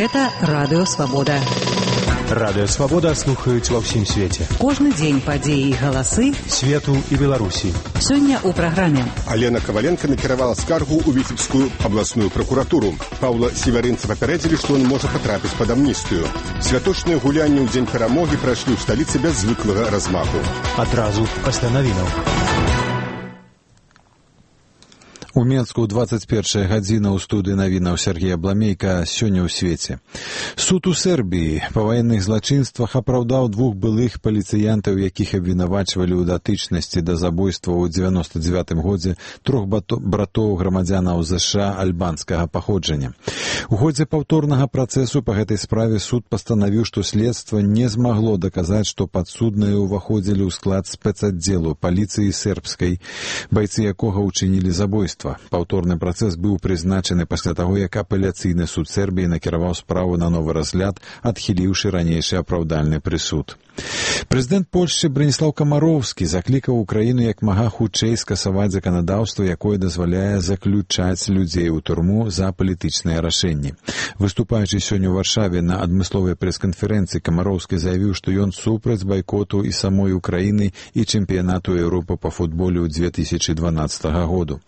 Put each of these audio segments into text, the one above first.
Гэта Радыё Свабода. Радыё Свабода слухаюць ва ўсім свеце. Кожны дзень падзеі і галасы свету і Беларусі. Сёння ў праграме. Алена Коваленко накіравала скаргу ў Віцебскую абласную прокуратуру. Паўла Севярынца папярэдзілі, што ён можа патрапіць пад амністыю. Святочныя гулянні ў дзень перамогі прайшлі ў сталіцы без звыклага размаху. Адразу пасля навінаў. У Менску 21 гадзіна ў студыі навінаў Сергея Бламейка сёння ў свеце. Суд у Сербіі па ваенных злачынствах апраўдаў двух былых паліцыянтаў, якіх абвінавачвалі ў датычнасці да забойства ў 99 годзе трох братоў грамадзянаў ЗША альбанскага паходжання. У ходзе паўторнага працэсу па гэтай справе суд пастанавіў, што следства не змагло даказаць, што падсудныя ўваходзілі ў склад спецаддзелу паліцыі сербскай, байцы якога ўчынілі забойства. Паўторны працэс быў прызначаны пасля таго, як апеляцыйны суд Сербіі накіраваў справу на новы разгляд, адхіліўшы ранейшы апраўдальны прысуд. Прэзідэнт Польшчы Браніслаў Камароўскі заклікаў Украіну як мага хутчэй скасаваць заканадаўства, якое дазваляе заключаць людзей у турму за палітычныя рашэнні. Выступаючы сёння ў Варшаве на адмысловай прэс-канферэнцыі, Камароўскі заявіў, што ён супраць байкоту і самой Украіны і чэмпіянату Еўропы па футболе ў 2012 году.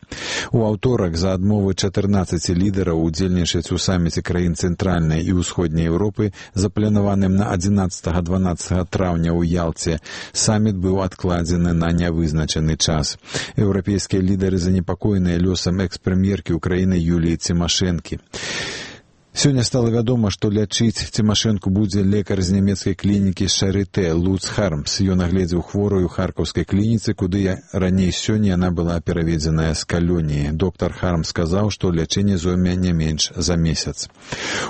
У аўторак за адмовы 14 лідараў удзельнічаць у саміце краін цэнтральнай і ўсходняй Еўропы, запланаваным на 11-12 траўня ў Ялце, саміт быў адкладзены на нявызначаны час. Еўрапейскія лідары занепакоеныя лёсам экс-прэм'еркі Украіны Юліі Цімашэнкі. Сёння стала вядома, што лячыць Цімашэнку будзе лекар з нямецкай клінікі Шарытэ Луц Хармс. Ён агледзеў хворую ў харкаўскай клініцы, куды раней сёння яна была пераведзеная з калоніі. Доктар Хармс сказаў, што лячэнне зойме не менш за месяц.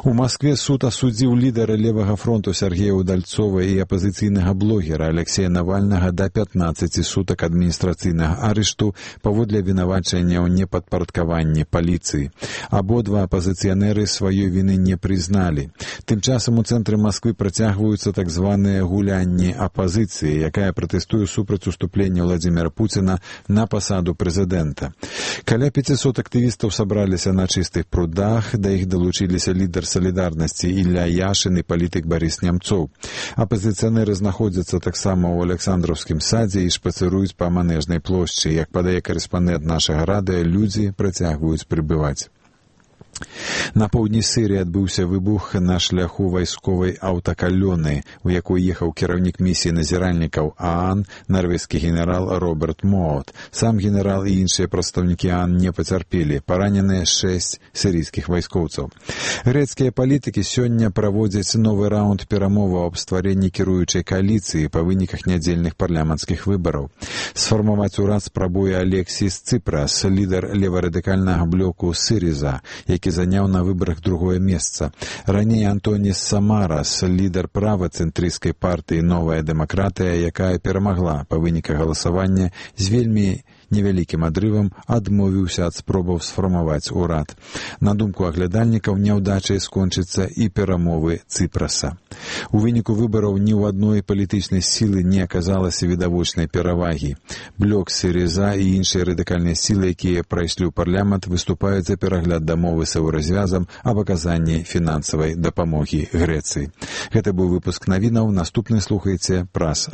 У Маскве суд асудзіў лідара левага фронту Сергея Удальцова і апазіцыйнага блогера Алексея Навальнага да 15 сутак адміністрацыйнага арышту паводле абвінавачання ў непадпарадкаванні паліцыі. Абодва апазіцыянеры сваёй віны не прызналі. Тым часам у цэнтры Масквы працягваюцца так званыя гулянні апазіцыі, якая пратэстуе супраць уступлення Владзіміра Пуціна на пасаду прэзідэнта. Каля 500 актывістаў сабраліся на чыстых прудах, да іх далучыліся лідар салідарнасці Ілля Яшын і палітык Барыс Нямцоў. Апазіцыянеры знаходзяцца таксама ў Александраўскім садзе і шпацыруюць па Манежнай плошчы. Як падае карэспандэнт нашага радыё, людзі працягваюць прыбываць. На поўдні Сірыі адбыўся выбух на шляху вайсковай аўтакалёны, у якой ехаў кіраўнік місіі назіральнікаў ААН, нарвежскі генерал Роберт Моот. Сам генерал і іншыя прадстаўнікі ААН не пацярпелі, параненыя 6 сірыйскіх вайскоўцаў. Грэцкія палітыкі сёння праводзяць новы раунд перамоваў аб стварэнні кіруючай кааліцыі па выніках нядзельных парламенцкіх выбараў. Сфармаваць урад спрабуе Алексіс Ципрас, лідар леварадыкальнага блоку Сириза, які заняў на выбарах другое месца. Раней Антоніс Самарас, лідар правацэнтрысцкай партыі «Новая дэмакратыя», якая перамагла па выніках галасавання з вельмі невялікім адрывам, адмовіўся ад спробаў сфармаваць урад. На думку аглядальнікаў, няўдачай скончыцца і перамовы Ципраса. У выніку выбараў ні ў адной палітычнай сілы не аказалася відавочнай перавагі. Блок Сіріза і іншыя радыкальныя сілы, якія прайшлі ў парламент, выступаюць за перагляд дамовы з еўразвязам аб аказанні фінансавай дапамогі Грэцыі. Гэта быў выпуск навінаў. Наступны слухайце праз